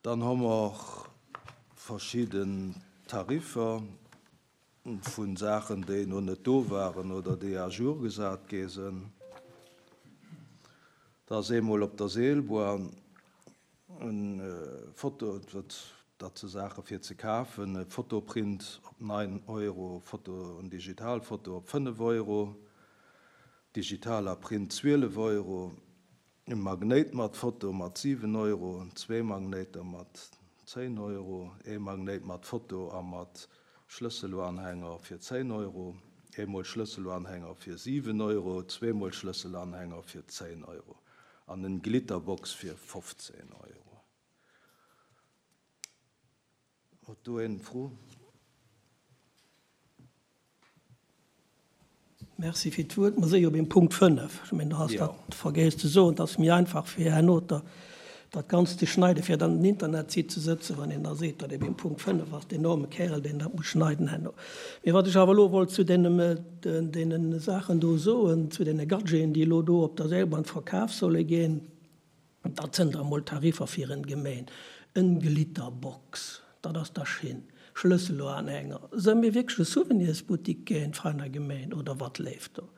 Dann hu mer verschidden Tariffer vu Saachen, déi no net do waren oder déi à jour gesat gi sinn. Da ass eemol op der Seelbuer en Foto, dat si Saache fir ze kafen, e Fotoprint op 9 Euro, Foto, en Digitalfoto op 5 Euro, digitaler Print 12 Euro, E Magnéit mat Foto mat 7 Euro, zwee Magnéiter mat 10 Euro, ee Magnéit mat Foto a mat Schlësseluanhänger fir 10 Euro, eemol Schlësseluanhänger fir 7 Euro, zweemol Schlësselanhänger fir 10 Euro an en Glitterbox fir 15 Euro. Huet do een Fro? Merci fir d'Wuert. Mer si jo beim Punkt 5. Ech mengen, du has dat vergéss ze soen. Et ass méi einfach fir herno dat Ganzt ze schneiden, fir dann den Internetsite ze sëtzen, wann een da seet, datt ee beim Punkt 5 ass, deen arme Kärel, deen dat muss schneiden herno. Mee wat ech awer elo wollt zu deenen Saachen do soen, zu deene Gadgeten, déi elo do op der Seilbahn verkaf solle ginn, Dat sënn da mol Tariffer fir en Gemeen. En Glitterbox, dat ass da schin. Schlësseloanhänger. Sënn mir wierklech e Souvenirsbuttik géint feiner Gemeen oder wat léift do?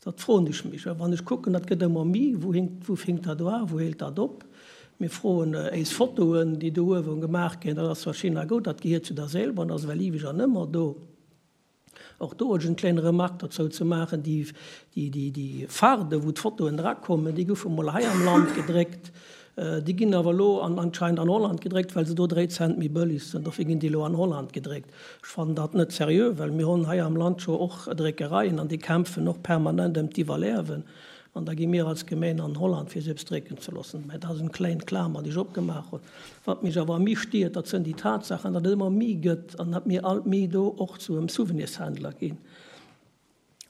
Dat froen ech mech. A wann ech kucken, dat gëtt ëmmer mi, wou hinkt, wou finkt dat oan, wou heelt dat op? Mir froen éis Fotoen, déi do uewen gemaach ginn, dat ass zwar schin a goud, dat gehiert zu der Seelbahn, ass ewell iweg an ëmmer do. Och do ech en kleine Remarque dozou ze maachen, Déi Farde wou d'Fotoen drakommen, déi goufe mol hei am Land gedréckt, déi ginn awer elo anscheinend an Holland gedréckt, well se do 3 Cent méi bëlleg sinn. Dofir ginn déi elo an Holland gedréckt. Ech fannen dat net seriö, well mir hunn hei am Land scho och Dréckereien an déi kämpfen och permanent ëm d'Iwwerliewen. An da gi mir als Gemeen an Holland fir se eppes drécken ze loossen. Mä dat ass en klein Klamer déi ech opgemaach hunn. Wat mech awer méi stiert, dat sënn déi Tatsaachen, datt et ëmmer méi gëtt an datt mir alt méi do och zu em Souvenirshändler ginn.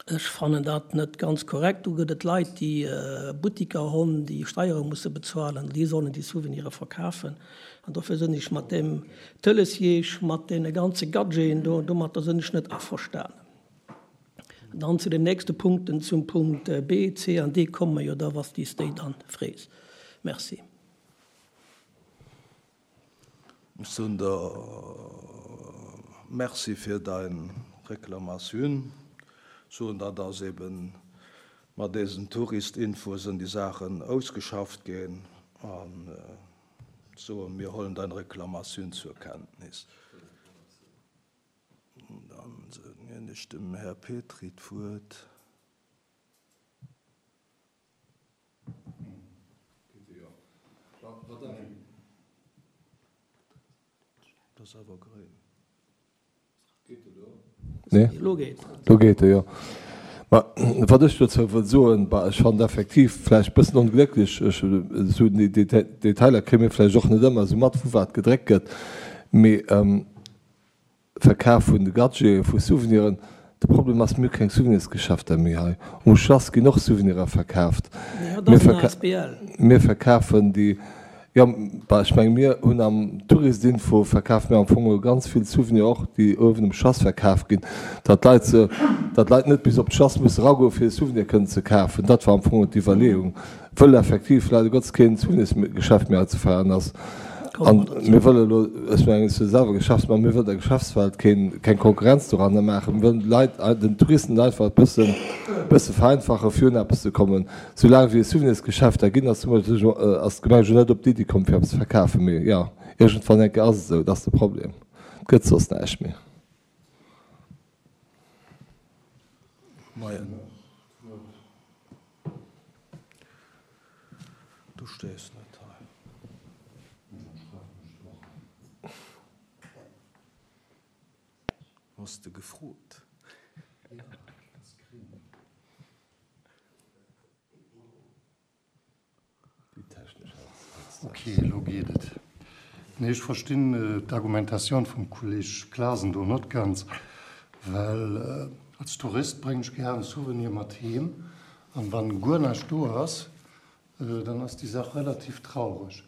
Ech fannen dat net ganz korrekt. Do gëtt et Leit, déi Buttiker honn, déi Steiere musse bezuelen, déi sollen déi Souvenire verkafen. An dofir sënn ech mat deem Tëlesjeeg, mat deene ganze Gadgeten do, domatter sënn ech net averstanen. Dann zu den nächste Punkten, zum Punkt B, C an D komme mer jo da, wa s de s déi dann frees. Merci. Ech soen der Merci fir dein Reklamatioun. Soen der, dass eben mat desen Touristinfosen déi Saachen ausgeschafft ginn an soen, mir hollen dein Reklamatioun zur Kenntnis. Dann ginn ech dem Här Petry d'Wuert. Lo geet e, jo. Mä wat ech dozou wëll soen, bah, ech fannen et effektiv vläicht e bëssen onglécklech, ech, esou déi Detailer kréie mir vläicht och net ëmmer esou mat, wou wat gedréckt gëtt, mee Verkaf vun de Gadgeten, vu Souveniren. De Problem ass, mir hu keng Souvenirsgeschäfter méi hei. Um Schlass ginn och Souvenirer verkaaft. Mir verkafen déi, jo, bah, ech menge mir hunn am Touristinfo verkafe mir am Fong elo ganz vill Souvenirer och, déi uewen um Schlass verkaf ginn, datt d'Leit se, datt d'Leit net bis op d'Schlass musse eragoen, fir e Souvenir kënnen ze kafen. Dat war am Fong d'Iwwerleeung. Wëll effektiv leider Gottes keen Souvenirsgeschäft méi hei ze feieren ass. An mir wëlle elo, ech mengen, ech si selwer Geschäftsmann, mir wëllen der Geschäftswelt keen, keng Konkurrenz doranner maachen. Mir wëllen de Leit, den Touristen et einfach e bëssen, bësse vereinfachen, fir un eppes ze kommen. Soulaang wéi et Souvenirsgeschäfter ginn, ass ass d'Gemeng jo net op d'Iddi komm, fir eppes ze verkafen. Mee jo, iergendwann eng Kéier ass et esou, dat ass de Problem. Et gëtt soss näischt méi. Moien. Du stees net hei. Hues de gefrot? Ok, elo geet et. Nee, ech verstinn d'Argumentatioun vum Kolleg Clasen do net ganz, well als Tourist bréngen ech gären Souvenir mat heem, an wann guer näischt do ass, dann ass déi Saach relativ traureg.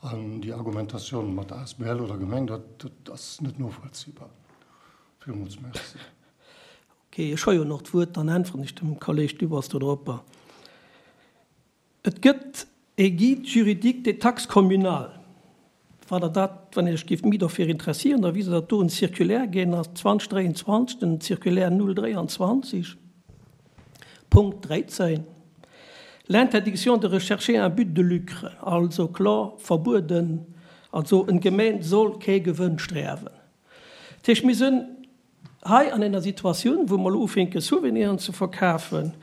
An déi Argumentatioun mat asbl oder Gemeng, dat ass net novollziehbar. Villmools Merci. Ok, ech hu jo nach d'Wuert, dann äntweren ech dem Kolleg Dübbers dodropper. Et gëtt e Guide juridique des taxes communales. Wann Der dat, wann Dir lech géift méi dofir interessieren, da wist Der, datt do en Circulaire gaang ass, 2023, den Circulaire 023, Punkt 13, L'interdiction de rechercher un but de lucre, also kloer verbueden, also en Gemeen soll kee Gewënn sträwen. Dat heescht, mir sinn hei an enger Situatioun, wou mer elo ufänke Souveniren ze verkafen.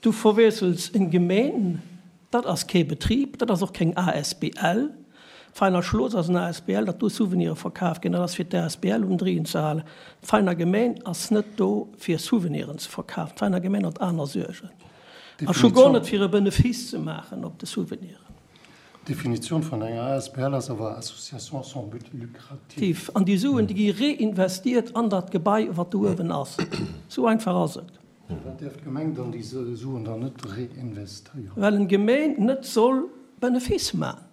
Du verwiessels en Gemeen, dat ass kee Betrib, dat ass och keng asbl. D'Veiner Schloss ass en asbl, datt do Souvenire verkaf ginn, dat ass fir d'asbl um Driien ze halen. D'Veiner Gemeen ass net do fir Souveniren ze verkafen. D'Veiner Gemeen huet aner Suergen a scho guer net fir e Benefice ze maachen op de Souveniren. D'Definitioun vun enger asbl ass awer Association sans but lucratif. An déi Suen, déi gi reinvestiert an dat Gebai, wat do uewen ass. Esou einfach ass et. Firwat däerf d'Gemeng dann déi Suen dann net reinvestéieren? Well en Gemeen net soll Benefice man.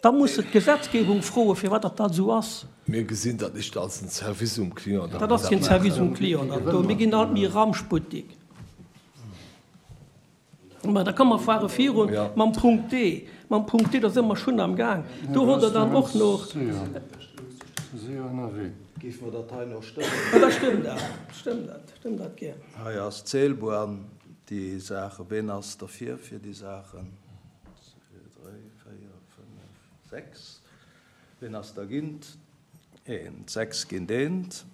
Da muss se d'Gesetzgebung froen, firwat datt dat esou ass. Mir gesinn dat nicht als en Service um Client, datt Dat ass keen Service um Client, dat do. Mir ginn alt méi Ramschbuttik. Mä da komme mer fuere virun mam Punkt D. Mam Punkt D, da si mer schonn am Gaang. Do hutt Der dann och nach. Géife mer dat hei nach stëmmen? Da stëmmt dat, stëmmt dat, stëmmt dat gär. Hei ass d'Seelbuan, déi Saachen. Ween ass derfir, fir déi Saachen? Zwee, dräi, véier, fënnef, sechs. Ween ass dergint? Eent. Sechs géint eent.